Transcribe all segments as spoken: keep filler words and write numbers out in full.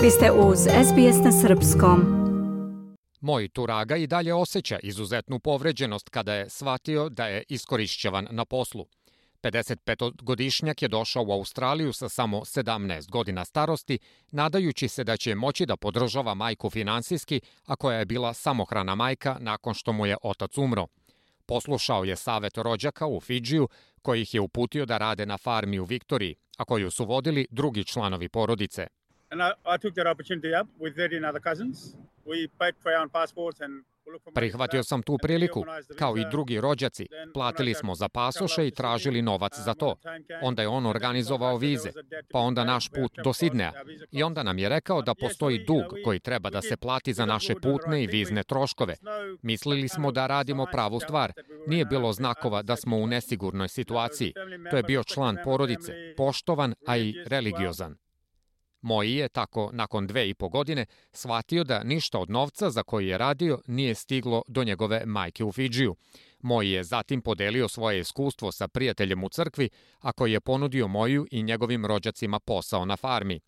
Vi ste uz S B S na srpskom. Moj Turaga i dalje osjeća izuzetnu povređenost kada je shvatio da je iskorišćavan na poslu. pedesetpetogodišnjak je došao u Australiju sa samo sedamnaest godina starosti, nadajući se da će moći da podržava majku finansijski, a koja je bila samohrana majka nakon što mu je otac umro. Poslušao je savet rođaka u Fidžiju, koji ih je uputio da rade na farmi u Viktoriji, a koju su vodili drugi članovi porodice. And I, I took that opportunity up with thirteen other cousins. We paid for our own passports and Prihvatio sam tu priliku, kao i drugi rođaci. Platili smo za pasoše i tražili novac za to. Onda je on organizovao vize, pa onda naš put do Sidneja. I onda nam je rekao da postoji dug koji treba da se plati za naše putne i vizne troškove. Mislili smo da radimo pravu stvar. Nije bilo znakova da smo u nesigurnoj situaciji. To je bio član porodice, poštovan, a i religiozan. Moji je tako, nakon dve i po godine, shvatio da ništa od novca za koji je radio nije stiglo do njegove majke u Fidžiju. Moji je zatim podelio svoje iskustvo sa prijateljem u crkvi, a koji je ponudio Moju i njegovim rođacima posao na farmi.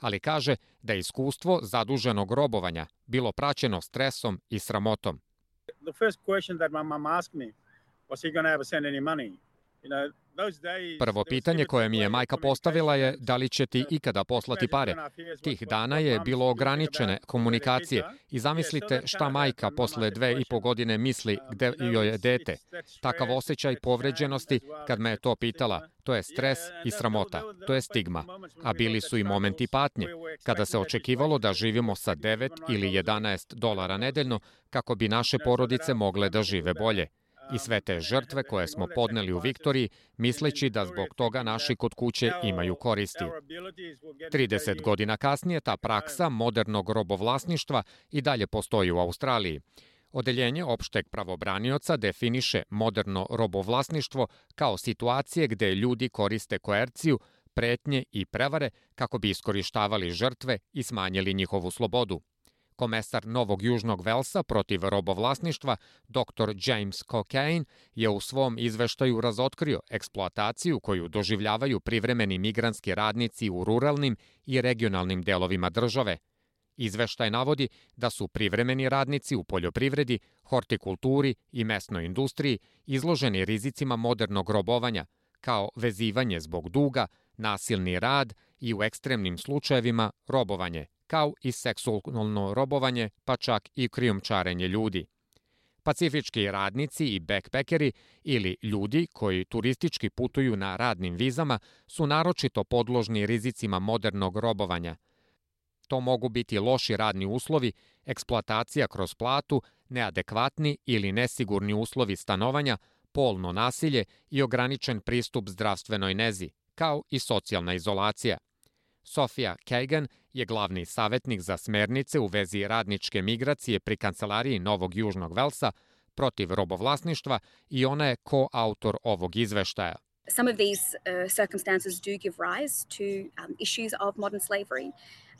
Ali kaže da je iskustvo zaduženog robovanja bilo praćeno stresom i sramotom. The first question that my mom asked me was he going to ever send any money? You know, Prvo pitanje koje mi je majka postavila je da li će ti ikada poslati pare. Tih dana je bilo ograničene komunikacije i zamislite šta majka posle dve i po godine misli gde joj je dete. Takav osjećaj povređenosti kad me je to pitala, to je stres i sramota, to je stigma. A bili su i momenti patnje, kada se očekivalo da živimo sa devet ili jedanaest dolara nedeljno kako bi naše porodice mogle da žive bolje. I sve te žrtve koje smo podneli u Viktoriji, misleći da zbog toga naši kod kuće imaju koristi. trideset godina kasnije ta praksa modernog robovlasništva i dalje postoji u Australiji. Odeljenje opšteg pravobranioca definiše moderno robovlasništvo kao situacije gde ljudi koriste koerciju, pretnje i prevare kako bi iskorištavali žrtve i smanjili njihovu slobodu. Komesar Novog Južnog Velsa protiv robovlasništva, doktor James Cockayne, je u svom izveštaju razotkrio eksploataciju koju doživljavaju privremeni migrantski radnici u ruralnim i regionalnim delovima države. Izveštaj navodi da su privremeni radnici u poljoprivredi, hortikulturi i mesnoj industriji izloženi rizicima modernog robovanja, kao vezivanje zbog duga, nasilni rad i u ekstremnim slučajevima robovanje, kao i seksualno robovanje, pa čak i krijumčarenje ljudi. Pacifički radnici i backpackeri ili ljudi koji turistički putuju na radnim vizama su naročito podložni rizicima modernog robovanja. To mogu biti loši radni uslovi, eksploatacija kroz platu, neadekvatni ili nesigurni uslovi stanovanja, polno nasilje i ograničen pristup zdravstvenoj nezi, kao i socijalna izolacija. Sofia Kagan je glavni savjetnik za smernice u vezi radničke migracije pri Kancelariji Novog Južnog Velsa protiv robovlasništva i ona je koautor ovog izveštaja. Some of these uh, circumstances do give rise to um, issues of modern slavery.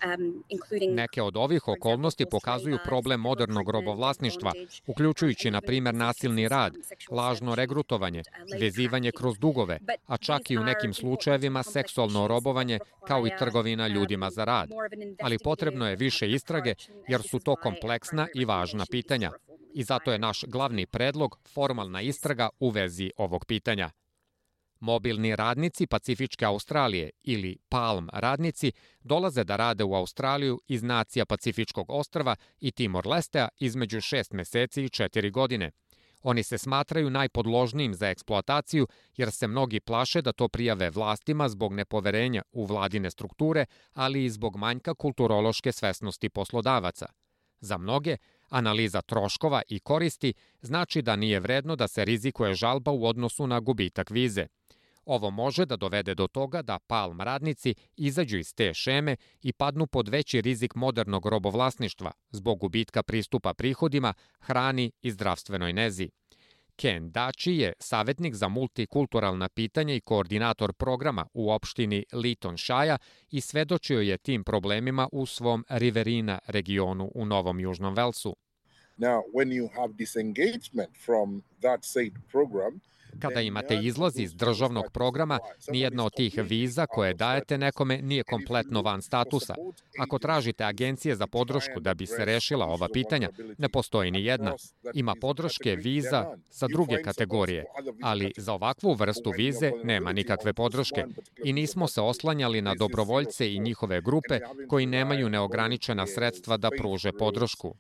Um, including... Neke od ovih okolnosti pokazuju problem modernog robovlasništva, uključujući, na primjer, nasilni rad, lažno regrutovanje, vezivanje kroz dugove, a čak i u nekim slučajevima seksualno robovanje, kao i trgovina ljudima za rad. Ali potrebno je više istrage, jer su to kompleksna i važna pitanja. I zato je naš glavni predlog formalna istraga u vezi ovog pitanja. Mobilni radnici Pacifičke Australije ili Palm radnici dolaze da rade u Australiju iz nacija Pacifičkog ostrva i Timor-Lestea između šest meseci i četiri godine. Oni se smatraju najpodložnijim za eksploataciju jer se mnogi plaše da to prijave vlastima zbog nepoverenja u vladine strukture, ali i zbog manjka kulturološke svesnosti poslodavaca. Za mnoge, analiza troškova i koristi znači da nije vredno da se rizikuje žalba u odnosu na gubitak vize. Ovo može da dovede do toga da Palm radnici izađu iz te šeme i padnu pod veći rizik modernog robovlasništva zbog gubitka pristupa prihodima, hrani i zdravstvenoj nezi. Ken Daci je savjetnik za multikulturalna pitanja i koordinator programa u opštini Lytton Shire i svedočio je tim problemima u svom Riverina regionu u Novom Južnom Velsu. Now, when you have disengagement from that said program, Kada imate izlaz iz državnog programa, nijedna od tih viza koje dajete nekome nije kompletno van statusa. Ako tražite agencije za podršku da bi se rešila ova pitanja, ne postoji ni jedna. Ima podrške viza za druge kategorije, ali za ovakvu vrstu vize nema nikakve podrške. I nismo se oslanjali na dobrovoljce i njihove grupe koji nemaju neograničena sredstva da pruže podršku.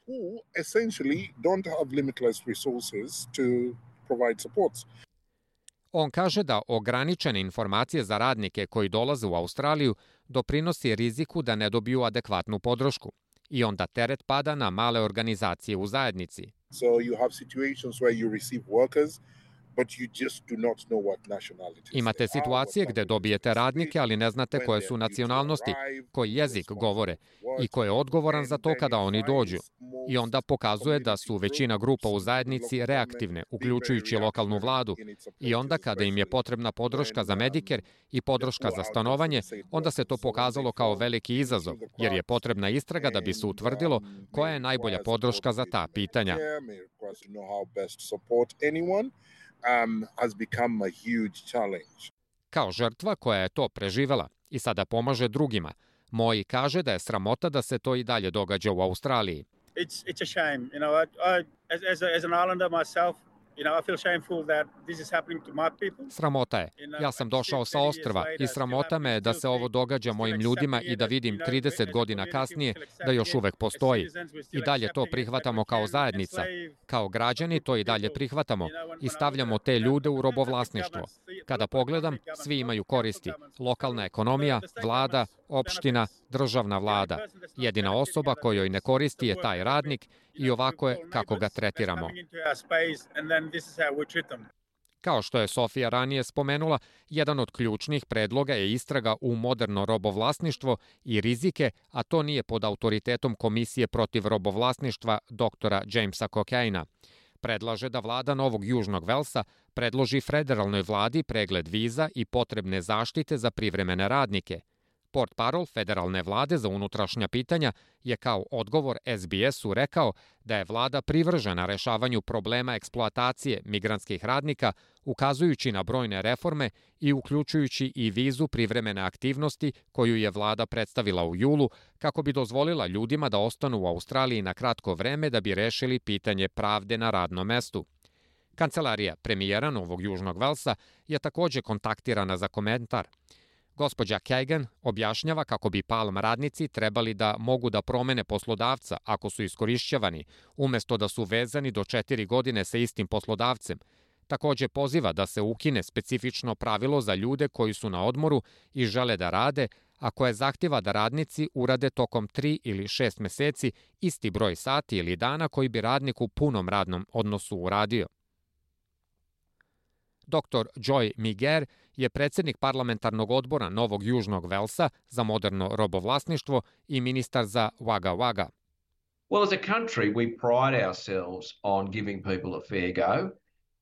On kaže da ograničene informacije za radnike koji dolaze u Australiju doprinosi riziku da ne dobiju adekvatnu podršku. I onda teret pada na male organizacije u zajednici. So you have situations where you receive workers, but you just do not know what nationalities. Imate situacije gde dobijete radnike, ali ne znate koje su nacionalnosti, koji jezik govore i ko je odgovoran za to kada oni dođu. I onda pokazuje da su većina grupa u zajednici reaktivne, uključujući lokalnu vladu. I onda kada im je potrebna podrška za Medicare i podrška za stanovanje, onda se to pokazalo kao veliki izazov, jer je potrebna istraga da bi se utvrdilo koja je najbolja podrška za ta pitanja. Um, has become a huge challenge. Kao žrtva koja je to preživela i sada pomaže drugima, Moi kaže da je sramota da se to i dalje događa u Australiji. It's it's a shame, you know. I, I as as, a, as an islander myself, you know, I feel shameful that this is happening to my people. Sramota je. Ja sam došao sa ostrva i sramota me je da se ovo događa mojim ljudima i da vidim trideset godina kasnije da još uvek postoji. I dalje to prihvatamo kao zajednica. Kao građani to i dalje prihvatamo i stavljamo te ljude u robovlasništvo. Kada pogledam, svi imaju koristi. Lokalna ekonomija, vlada, opština, državna vlada. Jedina osoba kojoj ne koristi je taj radnik i ovako je kako ga tretiramo. Kao što je Sofija ranije spomenula, jedan od ključnih predloga je istraga u moderno robovlasništvo i rizike, a to nije pod autoritetom Komisije protiv robovlasništva doktora Jamesa Cocaina. Predlaže da vlada Novog Južnog Velsa predloži federalnoj vladi pregled viza i potrebne zaštite za privremene radnike. Portparol federalne vlade za unutrašnja pitanja je kao odgovor S B S-u rekao da je vlada privržena rešavanju problema eksploatacije migrantskih radnika, ukazujući na brojne reforme i uključujući i vizu privremene aktivnosti koju je vlada predstavila u julu kako bi dozvolila ljudima da ostanu u Australiji na kratko vreme da bi rešili pitanje pravde na radnom mestu. Kancelarija premijera Novog Južnog Velsa je takođe kontaktirana za komentar. Gospođa Kagan objašnjava kako bi Palm radnici trebali da mogu da promene poslodavca ako su iskorišćavani, umesto da su vezani do četiri godine sa istim poslodavcem. Takođe poziva da se ukine specifično pravilo za ljude koji su na odmoru i žele da rade, a koje zahtjeva da radnici urade tokom tri ili šest meseci isti broj sati ili dana koji bi radnik u punom radnom odnosu uradio. Doktor Joy Miger je predsjednik parlamentarnog odbora Novog Južnog Velsa za moderno robovlasništvo i ministar za Wagga Wagga. Well, as a country, we pride ourselves on giving people a fair go.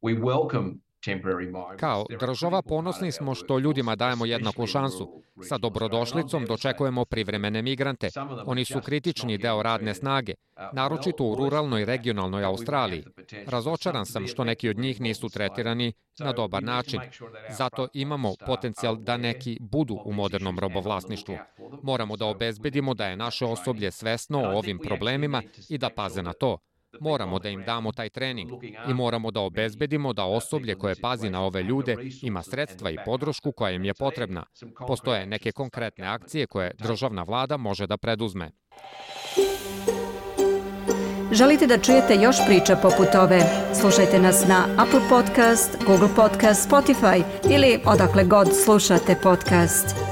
We welcome temporary migrants. Kao država ponosni smo što ljudima dajemo jednaku šansu. Sa dobrodošlicom dočekujemo privremene migrante. Oni su kritični deo radne snage, naročito u ruralnoj regionalnoj Australiji. Razočaran sam što neki od njih nisu tretirani na dobar način. Zato imamo potencijal da neki budu u modernom robovlasništvu. Moramo da obezbedimo da je naše osoblje svesno o ovim problemima i da paze na to. Moramo da im damo taj trening i moramo da obezbedimo da osoblje koje pazi na ove ljude ima sredstva i podršku koja im je potrebna. Postoje neke konkretne akcije koje državna vlada može da preduzme. Želite da čujete još priča poput ove? Slušajte nas na Apple Podcast, Google Podcast, Spotify ili odakle god slušate podcast.